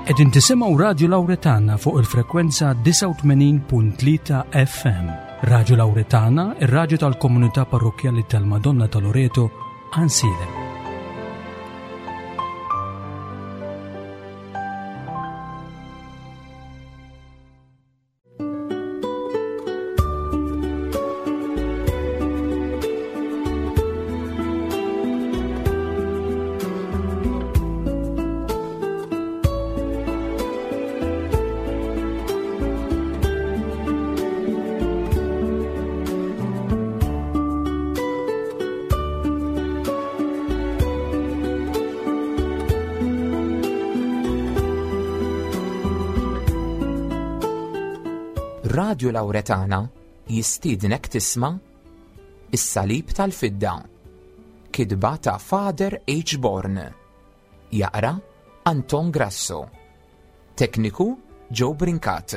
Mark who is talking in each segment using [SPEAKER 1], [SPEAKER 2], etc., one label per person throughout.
[SPEAKER 1] Qegħdin tisimgħu Radju Lawretana fuq il-frekwenza 89.3 FM. Radju Lawretana, ir-radju tal-komunità parrokkjali tal-Madonna ta' Loreto, Ansilem.
[SPEAKER 2] Radju Lawretana jistiednek tisma' Is-Salib tal-Fidda. Kitba ta' Father H. Born. Jaqra Anton Grasso. Tekniku Joe Brincat.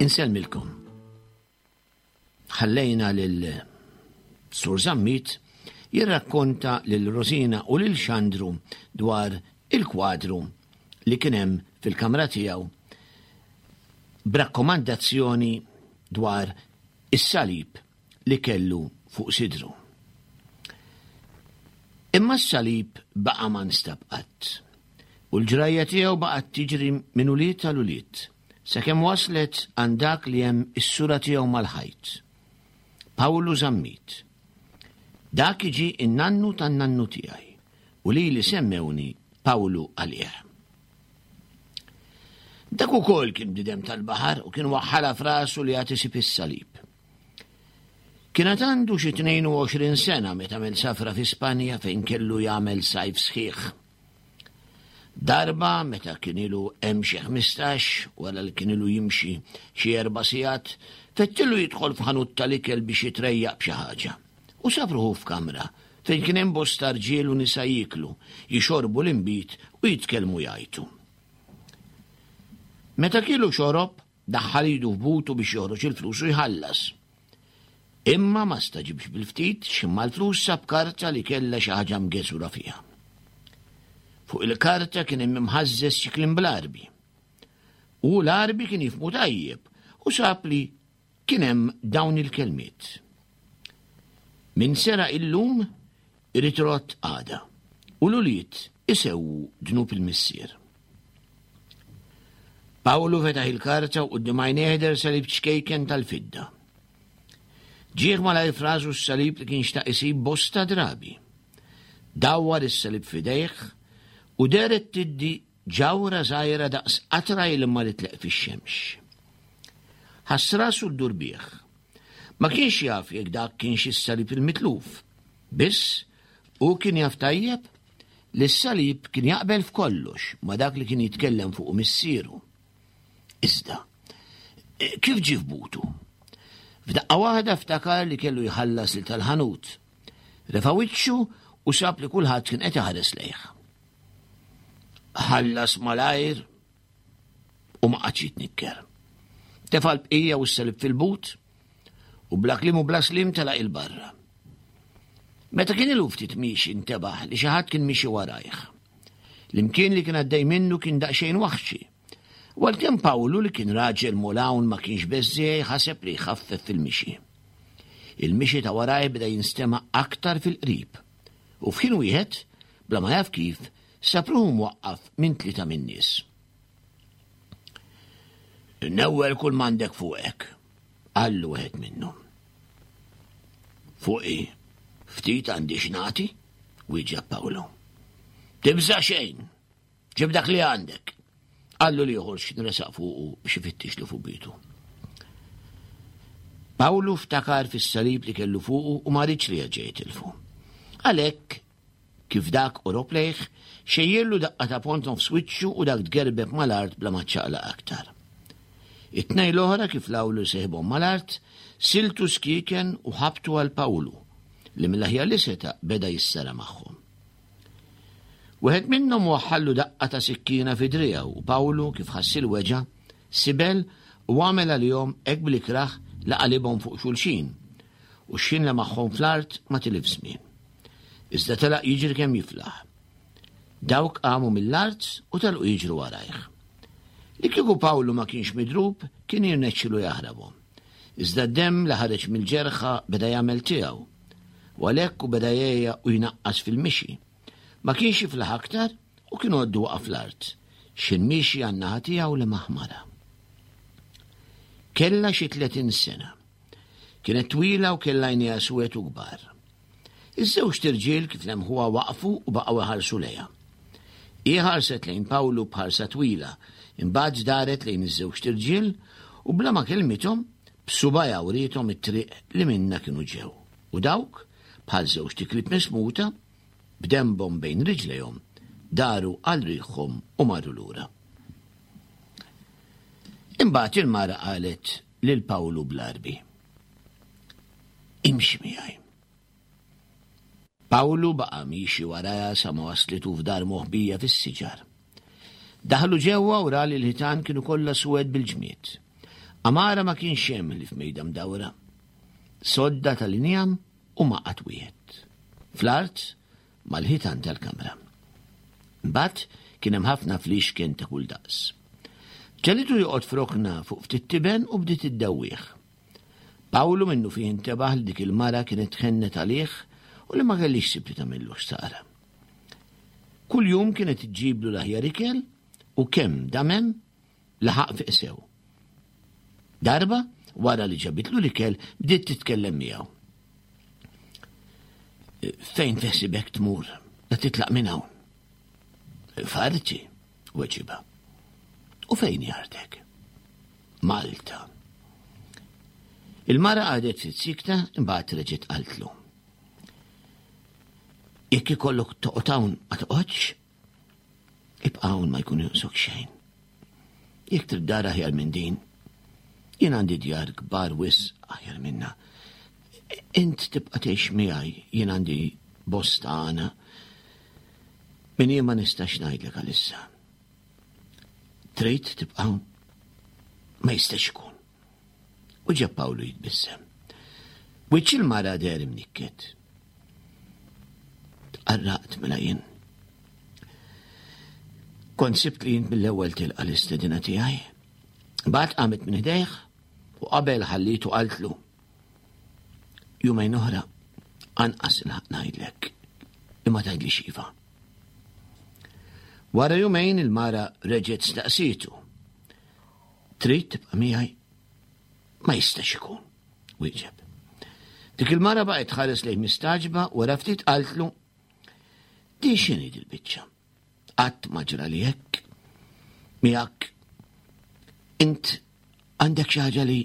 [SPEAKER 3] Insellmilkom. Ħallejna lil Sur Zammit jirrakkonta lil Rosina u lil Xandru dwar il-kwadru li kien hemm fil-kamra tiegħu b'rakkomandazzjoni dwar is-salib li kellu fuq sidru. Imma s-salib baqa' ma nstab qatt, u l-ġrajja tiegħu baqgħet tiġri minn ulied għal ulied, sakemm waslet għand dak li hemm is-sura tiegħu mal-ħajt. Pawlu Zammit. Dak iġi n-nannu tan-nannu tiegħi, u lili semmewni Pawlu għalih. Dak ukoll kien bniedem tal-baħar u kien waħħalha f'rasu li għad isib is-salib. Kien għad għandu xi 22 sena meta għamel safra fi Spanja fejn kellu jagħmel sajf sħiħ. Darba meta kien ilu hemm xi 15 wara li kien ilu jimxi xi erba' sigħat, fettillu jidħol f'ħanut tal-ikel biex jitrejjaq b'xi ħaġa. U sab ruħu f'kamra fejn kien hemm bosta rġiel u nisa jieklu, jixorbu l-inbid u jitkellmu jgħajtu. Meta kielu xorob, daħħal idu f'butu biex joħroġ il-flus u jħallas. Imma ma staġibx bil-ftit x'imma l-flus sab karta li kellha xi ħaġa mgeżura fiha. Fuq il-karta kien hemm imħażżeż xi kliem bl-Għarbi. U l-Għarbi kien jifhmu tajjeb u sab li Kien hemm dawn il-kelmiet. Min seraq illum irid irodd għada, u l-ulied isewwu dnub il-missier. Pawlu fetaħ il-karta u quddiem għajnejh deher salib ċkejken tal-fidda. Ġieħ malajr f'rasu s-salib li kien xtaq isib bosta drabi. Dawwar is-salib f'idejh u dehret tiddi Ġawhra żgħira daqs qatra ilma li tleqq fix-xemx. Ħass rasu ddur bih. Ma kienx jaf jekk dak kienx is-salib il-mitluf. Biss, hu kien jaf tajjeb li s-salib kien jaqbel f'kollox ma' dak li kien jitkellem fuqu missieru. Iżda, kif ġie f'butu? F'daqqa waħda ftakar li kellu jħallas lil tal-ħanut. Refa' wiċċu u sab li kulħadd kien qed iħares lejh. Ħallas malajr u ma qagħadx jitnikker. Tefa' l-bqija u s-salib fil-but u bla kliem u bla slim telaq il-barra. Meta kien ilu ftit miexi ntebaħ li xi ħadd kien miexi warajh. L-imkien li kien għaddej minnu kien daqsxejn waħxi. U għalkemm Pawlu li kien raġel mulawn ma kienx beżżiegħi ħaseb li jħaffef fil-mixi. Il-mixi ta' warajh beda jinstema' aktar fil-qrib. U f'ħin wieħed, bla ma jaf kif, sab ruħu mwaqqaf minn tlieta min-nies. Newwel kull m'għandek fuqek, qallu wieħed minnhom. Fuqi ftit għandi x'nagħti, wieġeb Pawlu. Tibża' xejn, Ġib dak li għandek. Qallu l-ieħor x'kien resaq fuqu biex ifittixlu fuq bitu. Pawlu ftakar fis-salib li kellu fuqu u ma riedx li jerġa' jitilfu. Għalhekk, kif dak qorob lejh, xejjirlu daqqa ta' pont nofs wiċċu u dak tgerbeb mal-art bla ma ċċaqlaq aktar. It-tnejn l-oħra kif lawlu seħibhom mal-art, siltu skieken u ħabtu għal Pawlu, li mill-aħjar li seta' beda jissara magħhom. Wieħed minnhom waħħallu daqqa ta' sikkina fi driegħu u Pawlu kif ħass il-weġgħa, sibel u għamel għalihom hekk bl-ikrah li qalibhom fuq xulxin, u x'ħin lemaħhom fl-art ma tilifx żmien. Iżda telaq jiġri kemm jiflaħ. Dawk qamu mill-art u telqu jiġru warajh. Li kieku Pawlu ma kienx midrub, kien jirnexxilu jaħrabhom. Iżda d-demm li ħareġ mill-ġerħa beda jagħmel tiegħu. U għalhekk hu beda jgħejja u jnaqqas fil-mixi. Ma kienx jiflaħ aktar u kien għoddu waqa' fl-art. X'ħin miexi għan-naħa tiegħu lemaħ mara. Kellha xi 30 sena. Kienet twila u kellha għajnejha swed u kbar. Iż-żewġt irġiel kif lemħuha waqfu u baqgħu iħarsu lejha. Hi ħarset lejn Pawlu b'ħarsa twila, imbagħad daret lejn iż-żewġt irġiel u bla ma kellmithom, b'subgħajha wriethom it-triq li minnha kienu ġew. U dawk, bħal żewġt iklieb mismuta, b'denbhom bejn riġlejhom, daru għal riħhom u marru lura. Imbagħad il-mara qalet lil Pawlu bl-Għarbi, Imxi miegħi. Pawlu baqa' miexi warajha sa ma waslitu f'dar moħbija fis-siġar. Daħlu ġewwa u ra li l-ħitan kienu kollha suwed bil-ġmied. Għamara ma kienx hemm ħlief mejda mdawra, sodda tal-injam u maqgħad wieħed. Fl-art mal-ħitan tal-kamra. Imbagħad kien hemm ħafna fliexken ta' kull daqs. Ġegħlitu joqgħod f'rokna fuq ftit tiben u bdiet iddewwih. Pawlu minnufih intebaħ li dik il-mara kienet tħennet għalih u li ma kellhiex ħsieb li tagħmillu ħsara. Kuljum kienet iġġiblu l-aħjar ikel u kemm dam hemm laħaq fiq sew. Darba, wara li ġabitlu l-ikel, bdiet titkellem miegħu. Fejn teħsibek tmur? La titlaq minn hawn. Farti, weġiba. U fejn jartek? Malta. Il-mara għadet ftit sikta imbagħad reġgħet qaltlu. Jekk ikollok toqgħod hawn ma toqgħodx, ibqa' hawn ma jkun jonqsok xejn. Jekk trid dar aħjar minn din, jien għandi djar kbar wisq aħjar minna. Int tibqa' tgħix miegħi, jien għandi bosta għana. Min jien ma nistax ngħidlek għalissa. Trid tibqa' hawn? Ma jistax ikun. U ġab Pawlu jitbissem. Wiċċ il-mara deher imnikket. Tqarraqt mela jien. Kont sibt li jint mill-ewwel tilqa' l-istedina tiegħi. Bad qamet minn ħdejh u qabel ħallitu qaltlu. Jumejn oħra anqas ilħaq ngħidlek li ma tgħidlix iva. Wara jumejn il-mara reġgħet staqsietu. Trid tibqa' miegħi? Ma jistax ikun, wieġeb. Dik il-mara baqgħet tħares lejh mistaġba wara ftit qaltlu Din x'inhi dil-biċċa? Qatt ma ġrali hekk. Miegħek int għandek xi ħaġa li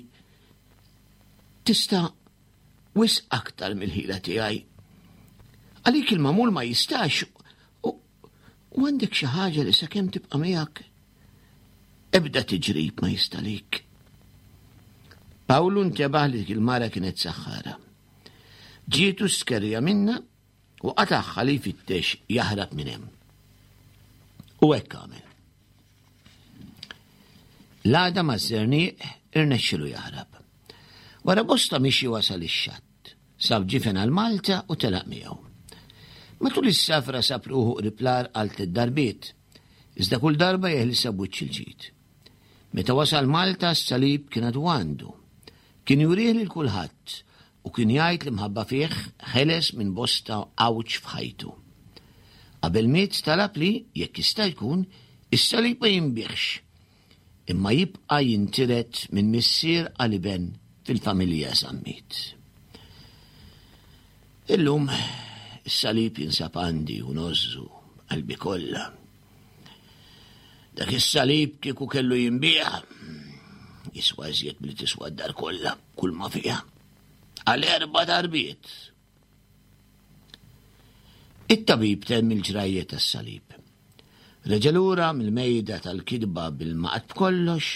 [SPEAKER 3] tista' wisq aktar mill-ħila tiegħi. Għalik il-mamul ma jistax u għandek xi ħaġa li sakemm tibqa' miegħek ebda tiġrib ma jista' lik. Pawlu ntebaħ li dik il-mara kienet saħħara. Ġietu skerja minna u qatagħha li jfittex jaħrab minn hemm. U hekk għamel. L-għada maż-żerniq irnexxilu jaħrab. Wara bosta mixi wasal ix-xatt. Sab ġifen għal Malta u telaq miegħu. Matul is-safra sab ruħu qrib l-għar għal tliet darbiet, iżda kull darba jeħlisha b'wiċċ il-ġid. Meta wasal Malta s-salib kien għadu għandu. Kien jurih lil kulħadd u kien jgħid li mħabba fih ħeles minn bosta għawġ f'ħajtu. Qabel miet talab li, jekk jista' jkun, is-salib ma jinbiegħx, imma jibqa' jintiret minn missier għal iben fil-familja Zammit. Illum is-salib jinsab għandi u ngħożżu b'qalbi kollha. Dak is-salib kieku kellu jinbiegħ jiswa iżjed milli tiswa d-dar kollha kull ma fiha. Għal erba' darbiet. It-tabib temm il-ġrajja tas-salib. Reġa' lura mill-mejda tal-kitba bil-maqgħad b'kollox.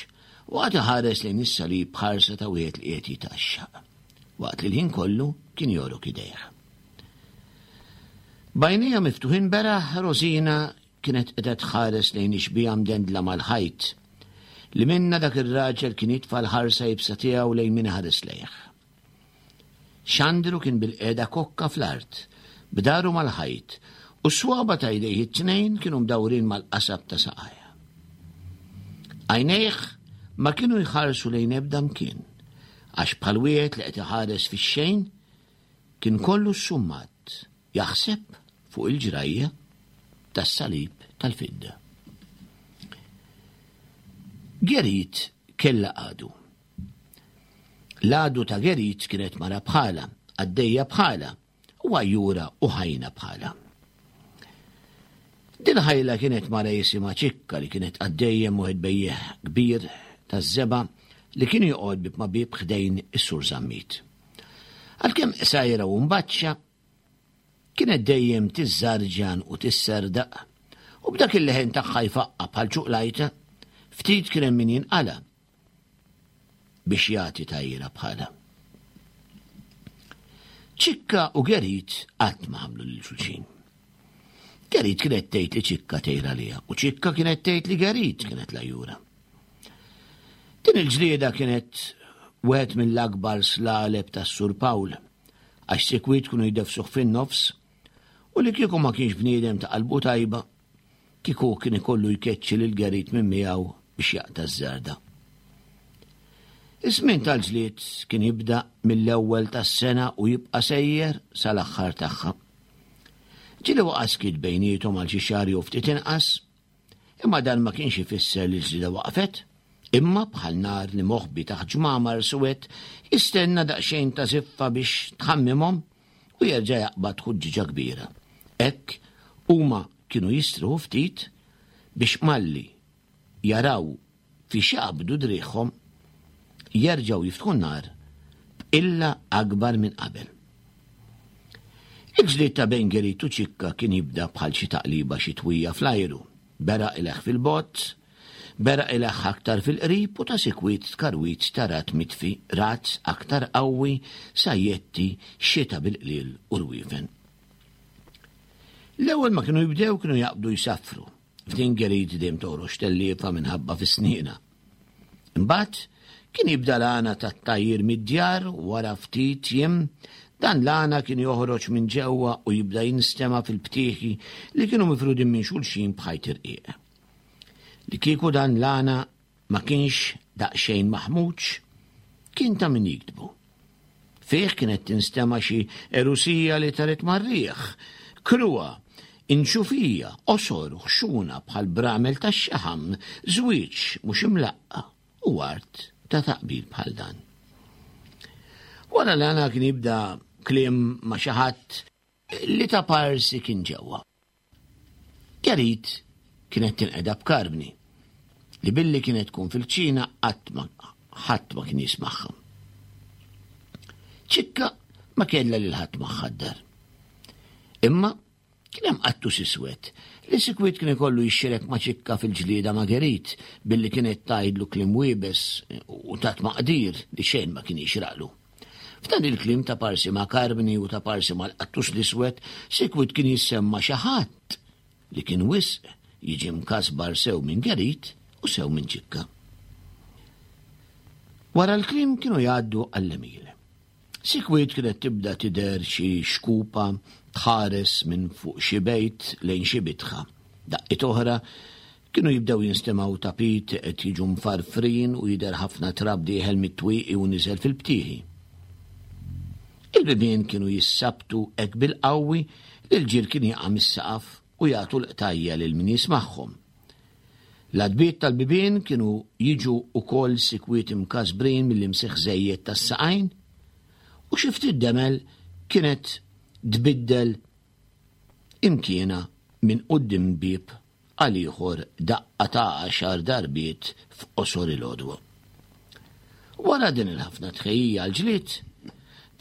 [SPEAKER 3] U qagħad iħares lejn is-salib b'ħarsa ta' wieħed li qiegħed jitgħaxxaq, waqt li l-ħin kollu kien jogħrok idejh. B'għajnejha miftuħin beraħ, Rosina kienet qiegħda tħares lejn ix-xbieha mdendla mal-ħajt, li minnha dak ir-raġel kien jitfa' l-ħarsa iebsa tiegħu lejn min iħares lejh. Xandru kien bilqiegħda kokka fl-art, b'daru mal-ħajt, u s-swaba' ta' jdejh it-tnejn kienu mdawrin mal-qasab ta' saqajh. Għajnejh ma kienu jħarsu lejn ebda mkien, għax bħal wieħed li qed iħares fix-xejn, kien kollu ssummat jaħseb fuq il-ġrajja tas-salib tal-fidda. Gerit kellha għadu. L-għadu ta' Gerit kienet mara bħalha, qaddejja bħalha, u għajjura u ħajna bħalha. Dil-ħajla kienet mara jisimha Ċikka li kienet qaddejja wieħed bejjiegħ kbir taż-żebgħa li kien joqgħod bieb ma' bieb ħdejn is-Sur Zammit. Għalkemm qsajra u mbaċċa, kienet dejjem tiżżarġan u tisserdaq, u b'dak il-leħen tagħha jfaqqa' bħal ċuqlajta, ftit kien hemm min jinqala' biex jagħti tgħajjira bħalha. Ċikka u Gerit qatt ma ħamlu lil xulxin. Gerit kienet tgħid li Ċikka tgħir għaliha u Ċikka kienet tgħid li Gerit kienet lajjura. Din il-ġlieda kienet wieħed mill-akbar slaleb tas-Sur Pawl għax sikwit kienu jdefsuh fin-nofs u li kieku ma kienx bniedem ta' qalbu tajba Kieku kien ikollu jkeċċi lil Gerrit minn miegħu biex jaqta' ż-żarda. Iż-żmien tal-ġlied kien jibda mill-ewwel tas-sena u jibqa' sejjer sal-aħħar tagħha. Ġieli waqa' skiet bejniethom għal xi xahar jew ftit inqas, imma dan ma kienx ifisser li l-ġlieda waqfet, imma bħal nar li moħbi taħt ġmamar suwed jistenna daqsxejn ta' żiffa biex tħammimhom u jerġa' jaqbad ħuġġieġa kbira. Hekk huma kienu jistrieħu ftit biex malli jaraw fiex jaqbdu driegħhom jerġgħu jiftħu n-nar b'qilla akbar minn qabel. Il-ġlied ta' bejn Gerit u Ċikka kien jibda bħal xi taqliba xitwija fl-ajru, beraq ileħħ fil-bogħod, beraq ileħħ aktar fil-qrib u ta' sikwit tkarwit ta' ragħad mitfi, ragħad aktar qawwi, sajjetti, xita bil-qliel u rwiefen. L-ewwel ma kienu jibdew kienu jaqbdu jsaffru. F'din Gerit dejjem toħroġ telliefa minħabba fi snienha. Imbagħad kien jibda l-għana tat-tgħajjir mid-djar u wara ftit jiem dan l-għana kien joħroġ minn ġewwa u jibda jinstema' fil-btieħi li kienu mifrudin minn xulxin b'ħajt irqiq. Li kieku dan l-għana ma kienx daqsxejn maħmuġ, kien ta' min jiktbu. Fih kienet tinstema' xi erusija li taret mar-riħ, kruha, inxufija, qosor u ħxuna bħal bramel tax-xaħam, żwieġ mhux imlaqqa' u art ta' taqbil bħal dan. Wara l-għana kien jibda kliem ma' xi ħadd li ta' parsi kien ġewwa. Gerit kienet tinqeda b'Karbni, li billi kienet tkun fil-kċina qatt ma ħadd ma kien jismagħha. Ċikka ma kellha lil ħadd magħha d-dar. Imma kien hemm qattus iswed li sikwit kien ikollu jixxirek ma' Ċikka fil-ġlieda ma' Gerit billi kienet tgħidlu kliem wiebes u ta' tmaqdir li xejn ma kien jixraqlu. F'dan il-kliem ta' parsi ma' Karmni u ta' parsi mal-qattus l-iswed, sikwit kien jissemma xi ħadd li kien wisq jiġi mkasbar sew minn Gerit u sew minn Ċikka. Wara l-kliem kienu jgħaddu għall-għemil. Sikwit kienet tibda tidher xi xkupa tħares minn fuq xi bejt lejn xi bitħa. Daqqiet oħra Kienu jibdew jinstemgħu tapit qed jiġu mfarfrin u jidher ħafna trab dieħel mit-twieqi u niżel fil-btieħi. Il-bibien kienu jissabtu hekk bil-qawwi li l-ġir kien jaqa' mis-saqaf u jagħtu l-qtajja' lil min jismagħhom. L-għatbiet tal-bibien kienu jiġu wkoll sikwit imkasbrin mill-imsieħ żejjed tas-saqajn u xi ftit demel kienet tbiddel imkienha minn quddiem bieb għal ieħor daqqa ta' għaxar darbiet f'qosor il-għodwa. Wara din il-ħafna tħejjija għall-ġlied,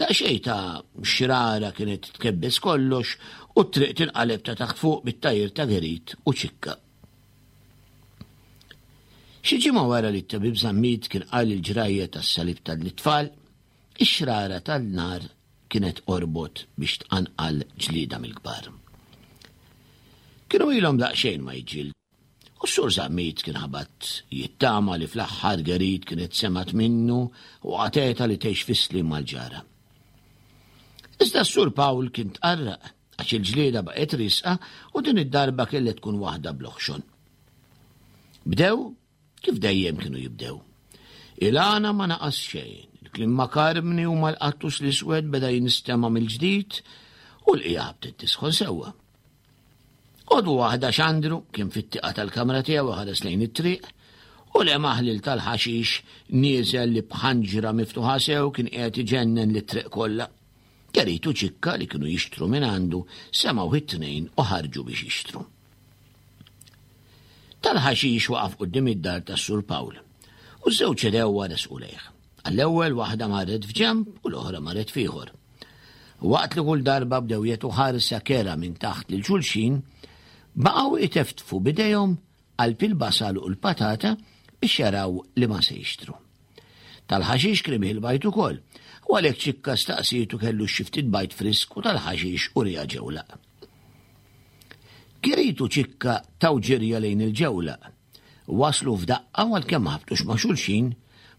[SPEAKER 3] daqsxejn ta' xrara kienet tkebbes kollox u t-triq tinqaleb ta' taħt fuq bit-tgħajjir ta' Gerit u Ċikka. Xi ġimgħa wara li t-tabib Zammit kien qal il-ġrajja tas-salib tal-itfal, ix-xrara tan-nar kienet qorbot biex tqanqal ġlieda mill-kbar. Kienu ilhom daqsxejn ma jiġġieldu, u s-Sur Zammit kien ħabat jittama li fl-aħħar Gerit kienet semgħet minnu u qatgħetha li tgħix fis-sliem mal-ġara. Iżda s-Sur Pawl kien tqarraq għax il-ġlieda baqgħet riesqa u din id-darba kellha tkun waħda bl-oħxon. Bdew kif dejjem kienu jibdew. Il-għana ma naqas xejn, il-kliem ma' Karmni u mal-qattus l-iswed beda jinstema' mill-ġdid u l-qiegħa bdiet tisħon sewwa. Għodwa waħda Xandru kien fit-tieqa tal-kamra tiegħu ħares lejn it-triq u lemaħ lil tal-ħaxix nieżel li b'ħanġra miftuħa sew kien qiegħed iġennen lit-triq kollha. Kerit u Ċikka li kienu jixtru minn għandu semgħuh it-tnejn u ħarġu biex jixtru. Tal-ħaxix waqaf quddiem id-dar tas-Sur Pawl u ż-żewġ idewwa resqu lejh. Għall-ewwel waħda marret f'ġenb u l-oħra marret f'ieħor. Waqt li kull darba bdew jagħtu ħarsa kerha minn taħt lil xulxin, baqgħu iteftfu b'idejhom qalb il-basal u l-patata biex jaraw li ma se jixtru. Tal-ħaxix kien ibih il-bajd ukoll, u għalhekk Ċikka staqsietu kellux xi ftit bajd frisk u tal-ħaxix uriha ġewlaq. Kirit u Ċikka taw ġirja lejn il-ġewlaq. Waslu f'daqqa u għalkemm ma ħabtux ma' xulxin,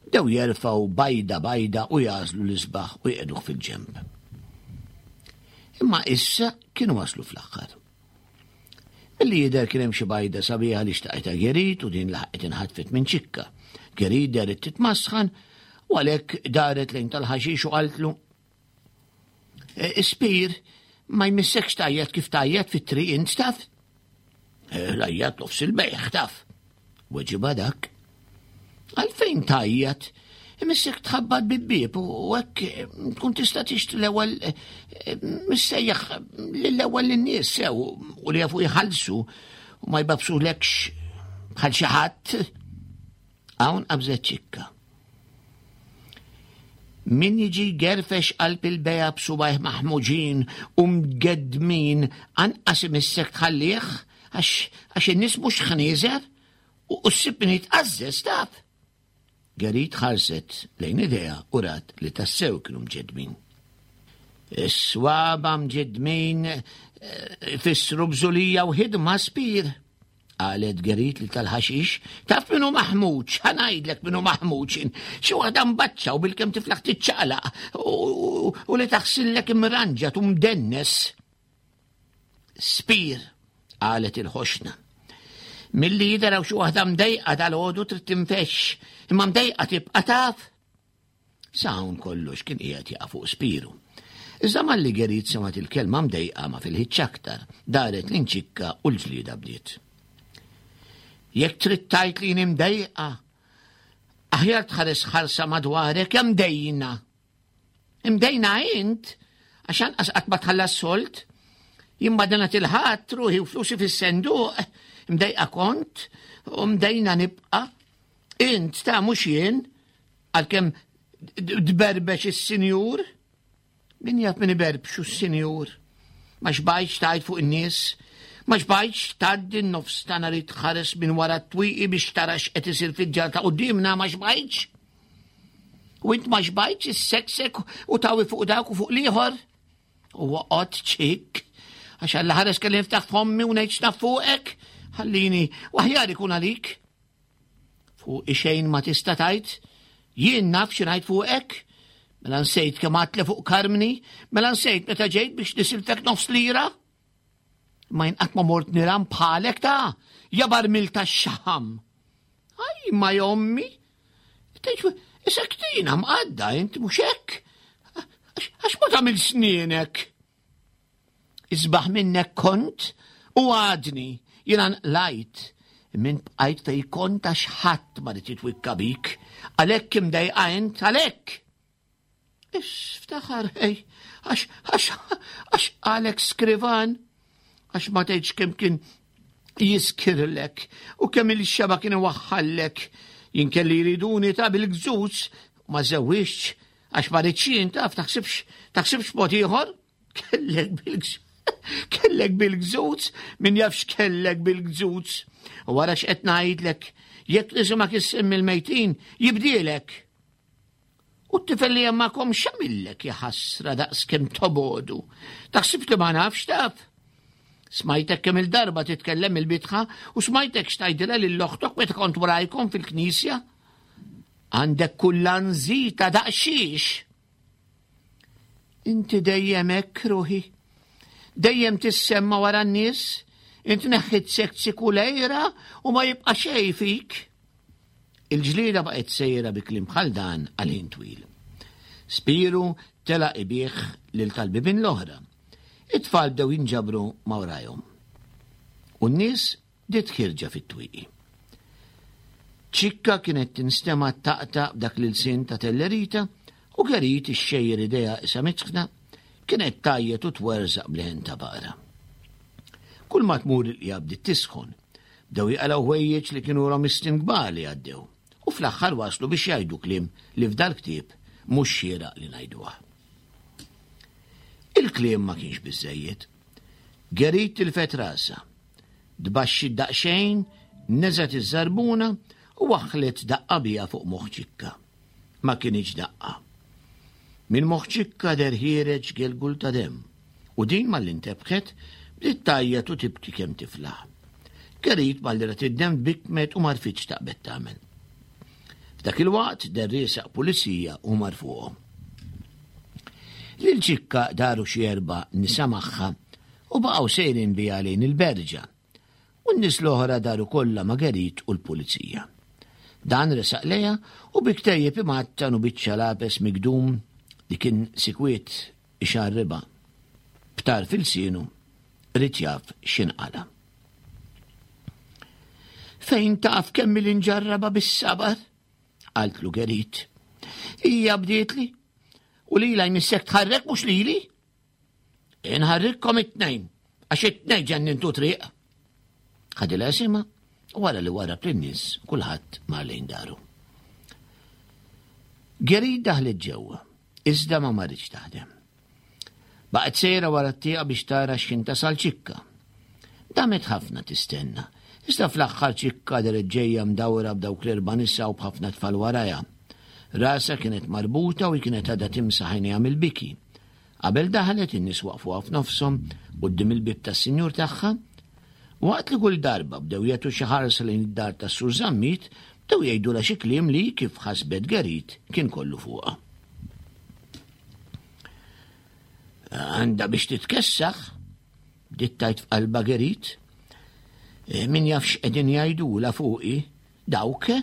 [SPEAKER 3] bdew jerfgħu bajda bajda u jagħżlu l-isbaħ u jqiegħduh fil-ġenb. Imma issa kienu waslu fl-aħħar. Milli jidher kien hemm xi bajda sabiħa li xtaqitha Gerit u din laħqet inħatfet minn Ċikka. Gerit dehret titmasħan u għalhekk daret lejn tal-ħaxix u qaltlu e, Ispir, ma jmissekx tajjat kif tajjat fit-triq int taf? E, Lajjat nofs il-bejħ taf. Weġibha dak. Għalfejn tgħajjat? Imissek tħabbat bibbieb u hekk eh, tkun tista' tixtri l-ewwel eh, missejjaħ lill-ewwel lin-nies sew u li jafu jħallsu u ma jbabsulekx bħal xi ħadd. Hawn qabżet ċikka. Min jiġi gerfex qalb il-beja b'subajh maħmuġin u mgeddmin anqas imissek tħallih għax in-nies mhux ħnieżer u ssib min jitqażżeż taf. Gerit ħarset lejn idejha u rat li tassew kienu mġeddmin. Is-swaba mġeddmin eh, ifissru bżulija u ħidma spir. Qalet Gerit li tal-ħaxix, taf minnu maħmuġ, ħanajdlek minnu maħmuġ, xi waħda mbaċċa u bil-kem tiflaħ tiċċaqlaq u li taħsillek imranġat u mdennes. Spir, qalet il-ħoxna. Milli jidher hawn xi waħda mdejqa dal-għodu trid tinfexx, imma mdejqa tibqa' taf. Sa hawn kollox kien qiegħed jaqa' fuq Spiru. Iżda malli Gerit semgħet il-kelma mdejqa ma filħitx aktar, daret l-inċikka u l-ġlieda bdiet. Jekk trid tgħid li jien imdejqa, aħjar tħares ħarsa madwarek hemm dejna. Imdejna int, għax anqas qatt ma tħallas solt. Jien ma dana tilħadd ruħi u flusi fis-senduq, imdejqa kont u mdejna nibqa'. Int ta' mhux jien, għalkemm tberbex is-sinjur. Min jaf min iberbxu s-sinjur? Ma xbajtx tgħid fuq in-nies? Ma xbajtx tgħaddi n-nofs ta' nhar tħares minn wara t-twieqi biex tara x'qed isir fid-djar ta' quddiemna ma xbajtx? U int ma xbajtx isseksek u tawi fuq dak u fuq l-ieħor? U oqgħod ċikk, għax Alla ħares kelli niftaħ fommi u ngħid x'naf fuqek, ħallini, u aħjar ikun għalik. Fuq xejn ma tista' tgħid, jien naf xi ngħid fuqek, mela nsejt kemm għadtli fuq Karmni, mela nsejt meta ġejt biex nisilfek nofs lira. Ma jien qatt ma mort niram bħalek ta' ja barmil ta' xaħam. Aj, ma jommi, isek tina mqadda int mhux hekk. Għax ma tagħmel snienek. Isbaħ minnek kont u għadni jiena nqlajt minn bqajt fej kont għax ħadd ma rid jitwikka bik. Għalhekk imdejqa int, għalhekk. Ix, ftaħar, ej, għax, għax, għax għalek skrivan, għax ma tgħidx kemm kien jiskirlek u kemm il-xeba kien iwaħħallek. Jien kelli jriduni ta' bil-gżuż ma żewwixx għax ma rridx jien taf taħsibx taħsibx mod ieħor. Kellek bil-gżuż. Kellek bil-gżuż, min jaf x'kellek bil-gżuż. U wara x'qed ngħidlek, Jekk nisimgħek issemmi l-mejtin, jibdielek. U t-tifel li hemm magħkom x'għamillek ja ħasra daqs kemm tobodu. Taħsib li ma nafx taf? Smajtek kemm il-darba titkellem il-bitħa u smajtek x'tajdilha lil oħtok meta kont warajkom fil-knisja. Għandek kull anżita daqsxiex. Inti dejjem hekk ruħi. Dejjem tissemma wara n-nies, int neħħit sekzi kulejra u ma jibqa' xejn fik. Il-ġlieda baqgħet sejra bi kliem bħal dan għal ħin twil. Spiru telaq ibigħ lil tal-bibien l-oħra. It-tfal bdew jinġabru ma' warajhom. U n-nies bdiet ħierġa fit-twieqi. Ċikka kienet tinstema' taqta' b'dak l-ilsien ta' Tellerita u Gerit ixxejjer idejha qisha mitħna kienet tgħajjat u twerżaq b'leħen ta' baqra. Kull ma tmur il-qija bdiet tisħon. Bdew jaqalgħu ħwejjeġ li kienu ilhom is-snin kbar li għaddew u fl-aħħar waslu biex jgħidu kliem li f'dal-ktieb mhux xieraq li ngħiduh. Il-kliem ma kienx biżżejjed. Gerit tilfet rasha. Tbaxxiet daqsxejn, neżgħet iż-żarbuna u waħħlet daqqa biha fuq moħħ Ċikka. Ma kinitx daqqa. Minn moħħ Ċikka deher ħiereġ gelgul ta' demm u din malli ntebħet bdiet tgħajjat u tibki kemm tiflaħ. Gerit malli rat id-demm tbikkmet u m'għarfitx x'taqbed tagħmel. F'dak il-waqt deher riesaq pulizija u mar fuqhom. Lil Ċikka daru xi erba' nisa magħha u baqgħu sejrin biha lejn il-berġa. U n-nies l-oħra daru kollha ma' Gerit u l-pulizija. Dan resaq lejha u bi ktejjeb imgħattan u biċċa lapes migdum li kien sikwiet ixarribha b'tarf ilsienu ried jaf x'inqala'. Fejn taf kemm ili nġarrabha bis-sabar? qaltlu Gerit. Hija bdietli u lilha jmissek tħarrek mhux lili. Inħarrikkom it-tnejn, għax it-tnejn ġennintu triq. Ħadilha isimha u wara li warab lin-nies kulħadd mar lejn daru. Gerid daħlet ġewwa, iżda ma marritx taħdem. Baqgħet sejra wara t-tieqa biex tara x'kien tasal ċikka. Damet ħafna tistenna, iżda fl-aħħar ċikka deret ġejja mdawra b'dawk l-erba' nisa u b'ħafna tfal warajha. Rasha kienet marbuta u hi kienet għadha timsaħ għajnejha mill-biki. Qabel daħlet, in-nies waqfuha f'nofshom quddiem il-bieb tas-sinjur tagħha. Waqt li kull darba bdew jagħtu xi ħarsa lejn id-dar tas-Sur Zammit, bdew jgħidulha xi kliem li, kif ħasbet Gerit, kien kollu fuqha. Għandha biex titkessaħ, bdiet tgħid f'qalbha Gerit. Eh, min jaf x'qegħdin jgħidula fuqi, dawk eh?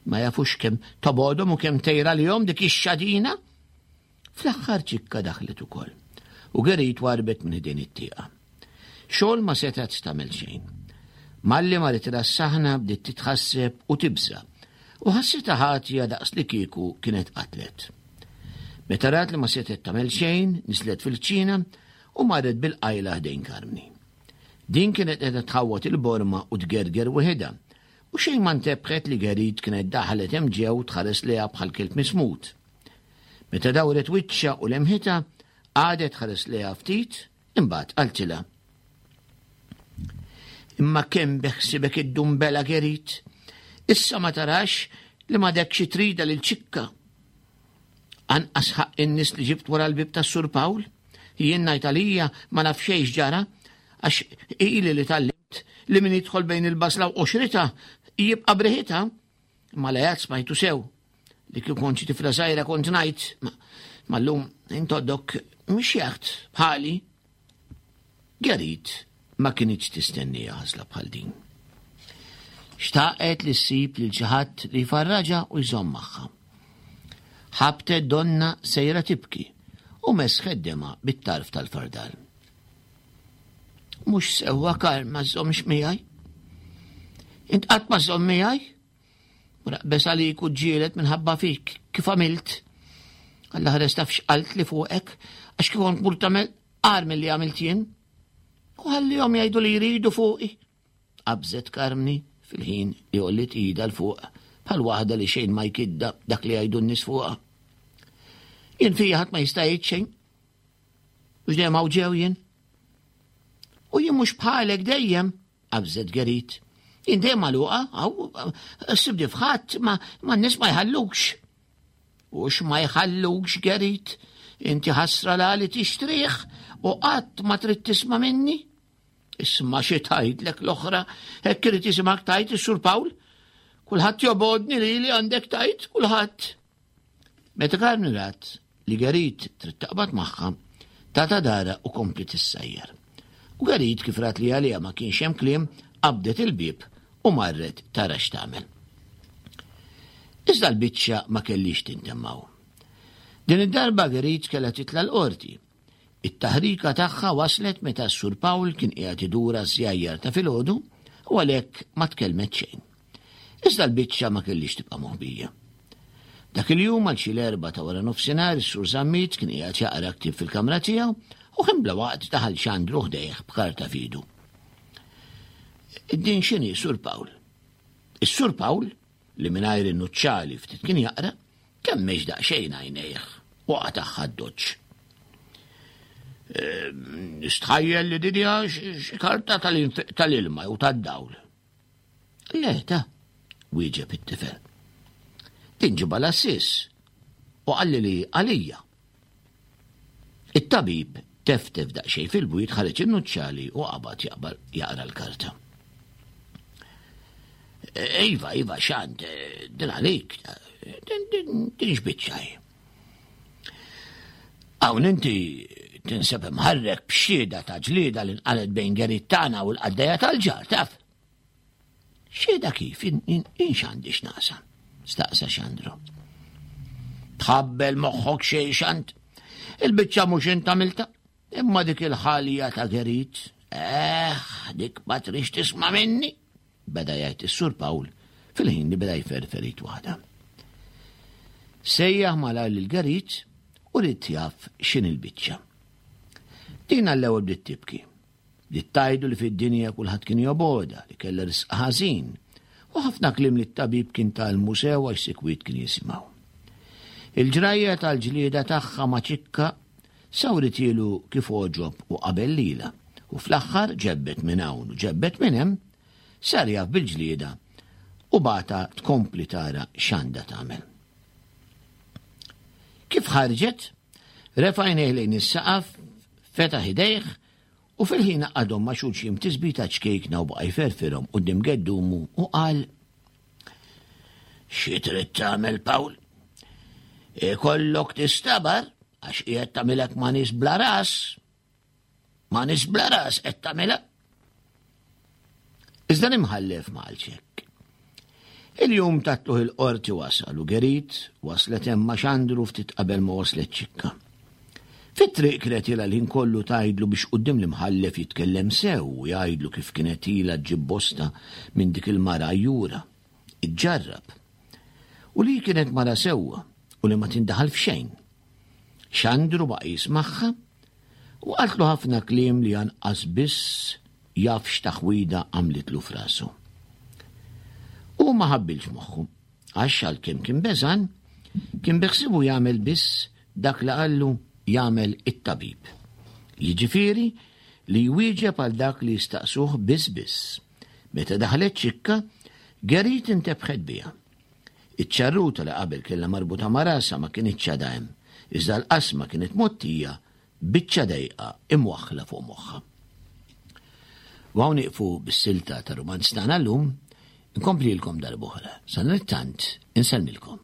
[SPEAKER 3] ma jafux kemm tobodhom u kemm tejra lihom dik ix-xadina. Fl-aħħar ċikka daħlet ukoll u Gerit warbet minn ħdejn it-tieqa. Xogħol ma setgħet tagħmel xejn. Malli marritilha s-saħna bdiet titħasseb u tibża' u ħassitha ħatja daqs li kieku kienet qatlet. Meta rat li ma setgħet tagħmel xejn, niżlet fil-kċina u marret bil-qajla ħdejn Karmni. Din kienet qiegħda tħawwad il-borma u tgerger weħidha, u xejn ma ntebħet li Gerit kienet daħlet hemm ġew tħares lejha bħal kelb mismut. Meta dawret wiċċha u lemħitha, qagħdet tħares lejha ftit, imbagħad qaltilha. Imma kemm beħsibek iddum bela Gerit? Issa ma tarax li m'għadekx trida lil ċikka. Anqas ħaqq in-nies li ġibt wara l-bib tas-Sur Pawl? Jien ngħid għalija ma naf xejn x'ġara għax ili li tgħallimt li min jidħol bejn il-basla u qoxritha jibqa' briħitha. Imma l-għajat smajtu sew. Li kieku kont xi tifla żgħira kont ngħid, ma llum intoddok mhix jaħt bħali. Gerit ma kinitx tistennija ħasla bħal din. Xtaqet li ssib lil xi ħadd li jfarraġha u jżomm magħha. Ħabtet donna sejra tibki u mesħet dema bit-tarf tal-fardal. Mhux sewwa Karl ma żżommx miegħi. Int qatt ma żżomm miegħi? Raqbes għalik u ġġieled minħabba fik, kif għamilt. Alla ħares taf x'qalt li fuqek, għax kif kont mur tagħmel qar milli għamilt jien. U ħallihom jgħidu li jridu fuqi. Qabżet Karmni fil-ħin li għolliet idha 'l fuq bħal waħda li xejn ma jkidda dak li jgħidu n-nies fuqha. Jien fija ħadd ma jista' jgħid xejn. Mhux dejjem hawn ġew jien. U jien mhux bħalek dejjem, qabżet Gerit. Jien dejjem magħluqa, hawn ssibni f'ħadd ma n-nies ma jħallukx. U x'ma jħallukx Gerit, inti ħasra la li tixtrih u qatt ma trid tisma' minni? Isma' xi tgħidlek l-oħra, hekk irid jisimgħek tgħid is-Sur Pawl. Kulħadd jobgħodni lili għandek tgħid, kulħadd. Meta Karmi rat li Gerit trid taqbad magħha, tata dara u kompli tissajjar. U Gerit kif rat li għaliha ma kienx hemm kliem, qabdet il-bieb u marret tara x'tagħmel. Iżda l-biċċa ma kellix tintemm hawn. Din id-darba Gerit kellha titla' l-qorti. It-taħrika tagħha waslet meta s-Sur Pawl kien qiegħed idur għaż-żjajjar ta' filgħodu u għalhekk ma tkellmet xejn. Iżda l-biċċa ma kellix tibqa' moħbija. Dak il-jum għal xi l-erbgħa ta' wara nofsinhar is-Sur Zammit kien qiegħed jaqra ktieb fil-kamra tiegħu u ħin bla waqt daħal Xandru ħdejh b'karta f'idu. Din x'inhi, Sur Pawl? Is-Sur Pawl, li mingħajr in-nuċċali ftit kien jaqra, kemmex daqsxejn għajnejh u qatagħha d-doċċ. Ehm, nistħajjel li din hija xi karta tal-ilma jew tad-dawl. Le, ta' wieġeb it-tifel. Din ġibha l-assis u qalli li għalija. It-tabib teftef daqsxejn fil-bwiet ħareġ in-nuċċali u qabad jaqbal jaqra l-karta. Iva, iva, xant, din għalik, din din xbiċċaj. Hawn inti tinsab imħarrek b'xhieda ta' ġlieda li nqalet bejn Gerit tagħna u l-qaddejja tal-ġar, taf? Xhieda kif, jien x'għandi x'naqsam? Staqsa Xandru. Tħabbel moħħok xejn xant. Il-biċċa mhux int għamilta, imma dik il-ħalja ta' Gerit. Eh, dik ma trix tisma' minni, beda jgħid is-Sur Pawl fil-ħin li beda jferfer id waħda. Sejjaħ malajr lil Gerit u ried jaf x'inhi l-biċċa. Din għall-ewwel bdiet tibki. Bdiet tgħidlu li fid-dinja kulħadd kien jobgħodha, li kellha risq ħażin, u ħafna kliem li t-tabib kien tgħallmu sew għax sikwit kien jisimgħu. Il-ġrajja tal-ġlieda tagħha ma' Ċikka sawritielu kif għoġob u qabel lilha, u fl-aħħar ġebbet minn hawn u ġebbet minn hemm, sar jaf bil-ġlieda u bagħatha tkompli tara x'għandha tagħmel. Kif ħarġet, refa' għajnejh lejn is-saqaf, fetaħ idejh U fil-ħin għaqqadhom ma' xulxin b'tisbita ċkejkna u baqa' jferfirhom quddiem geddumu u qal, Xi trid tagħmel, Pawl? Ikollok tistabar għax qiegħed tagħmilek ma' nies bla ras. Ma' nies bla ras qed tagħmilha. Iżda l-imħallef ma qalx hekk. Il-jum ta' tluħ il-qorti wasal u Gerit waslet hemm ma' Xandru ftit qabel ma waslet Ċikka. Fit-triq kienet ilha l-ħin kollu tgħidlu biex quddiem l-imħallef jitkellem sew u jgħidlu kif kienet ilha ġġib bosta minn dik il-mara għajjura. Iġġarrab. U li kienet mara sewwa u li ma tindaħal f'xejn. Xandru baqa' jismagħha u qaltlu ħafna kliem li anqas biss jaf x'taħwida għamlitlu f'rasu. Hu ma ħabbilx moħħu, għax għalkemm kien beżgħan, kien beħsiebu jagħmel biss dak li qallu jagħmel it-tabib. Jiġifieri li jwieġeb għal dak li jistaqsuh biss biss. Meta daħlet Ċikka, Gerit intebħet biha. Iċ-ċarruta li qabel kellha marbuta ma' rasha ma kinitx għadha hemm, iżda l-qasma kienet mgħottija Biċċa dejqa imwaħħla fuq moħħha. U hawn nieqfu bis-silta ta' rumanz tagħna llum, inkomplilkom darb'oħra. Sadanittant, insellmilkom.